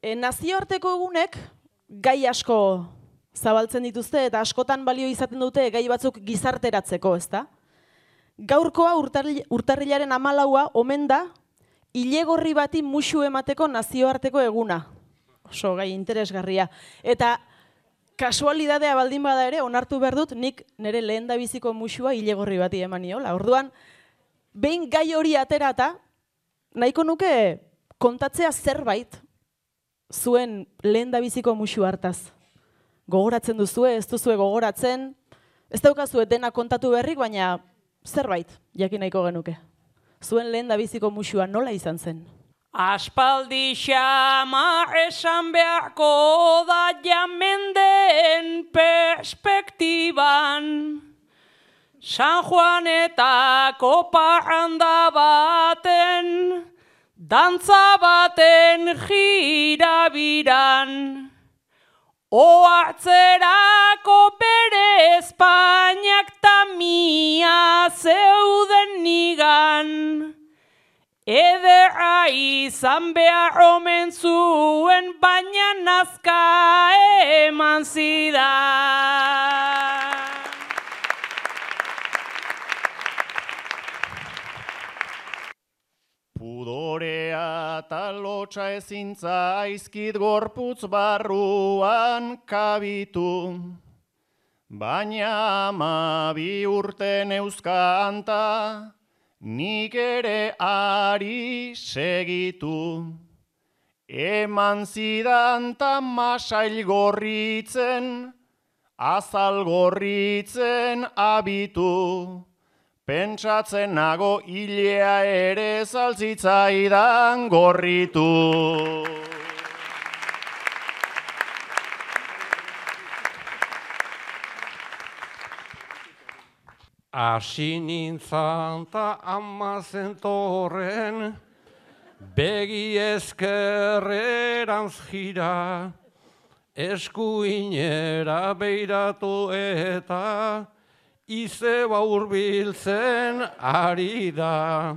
Nazioarteko egunek gai asko zabaltzen dituzte eta askotan balio izaten dute gai batzuk gizarteratzeko, ezta? Gaurkoa urtarrilaren 14a omen da ilegorri bati musu emateko nazioarteko eguna. Oso gai interesgarria. Eta kasualidadea baldin bada ere, onartu behar dut, nik nire lehendabiziko musua ilegorri bati eman niola. Orduan, behin gai hori aterata, nahiko nuke kontatzea zerbait zuen lehendabiziko musu hartaz. Gogoratzen duzue, ez duzue gogoratzen, ez daukazue dena kontatu berrik, baina zerbait, jakin nahiko genuke. Zuen lehendabiziko musua nola izan zen? Aspaldi xama esan beharko da jamenden perspektiban. San Juanetako parranda baten, dantza baten jirabiran. Ohartzerako bere Espainiak tamia zeuden nigan. Ederra izan behar omen zuen, baina nazka eman zidan. Pudorea eta lotxa ezintza aizkit gorputz barruan kabitu. Baina 12 urte neuzkanta, nik ere ari segitu. Eman zidan ta masail gorritzen, azal gorritzen abitu. Pentsatzen nago hilea ere zaltzitzaidan gorritu. Asi nintzan ta ama zentorren, begi ezkerrerantz jira, eskuinera beiratu eta izeba hurbiltzen ari da.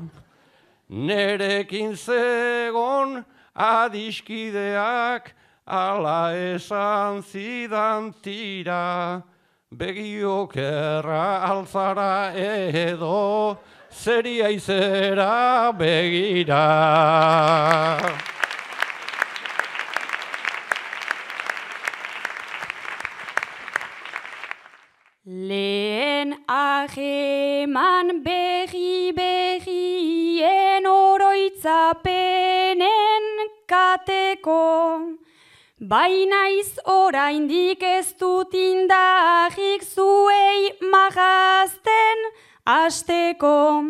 Nerekin zegon adiskideak ala esan zidan tira. Begiokerra altzara edo zeria izera begira. Lehen aheman berrien oroitzapenen kateko, bainaiz oraindik ez dut indarrik zuei magazten asteko.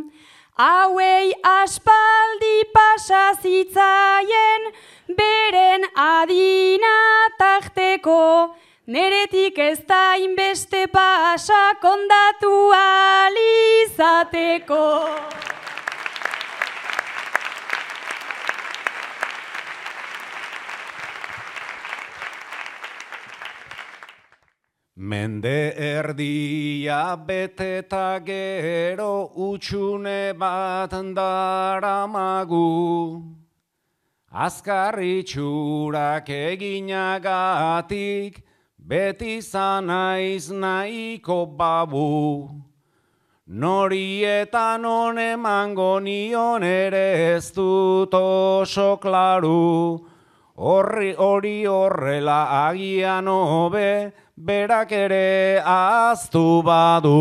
Hauei aspaldi pasa zitzaien beren adina tarteko. Neretik ez da inbeste pasa kondatu alizateko. Mende erdia beteta gero utxune bat daramagu. Azkar itxurak eginagatik beti zanaiz nahiko babu. Nori eta non emango nion ere ez dut oso klaru. Hori horrela agian hobe, berak ere ahaztu badu.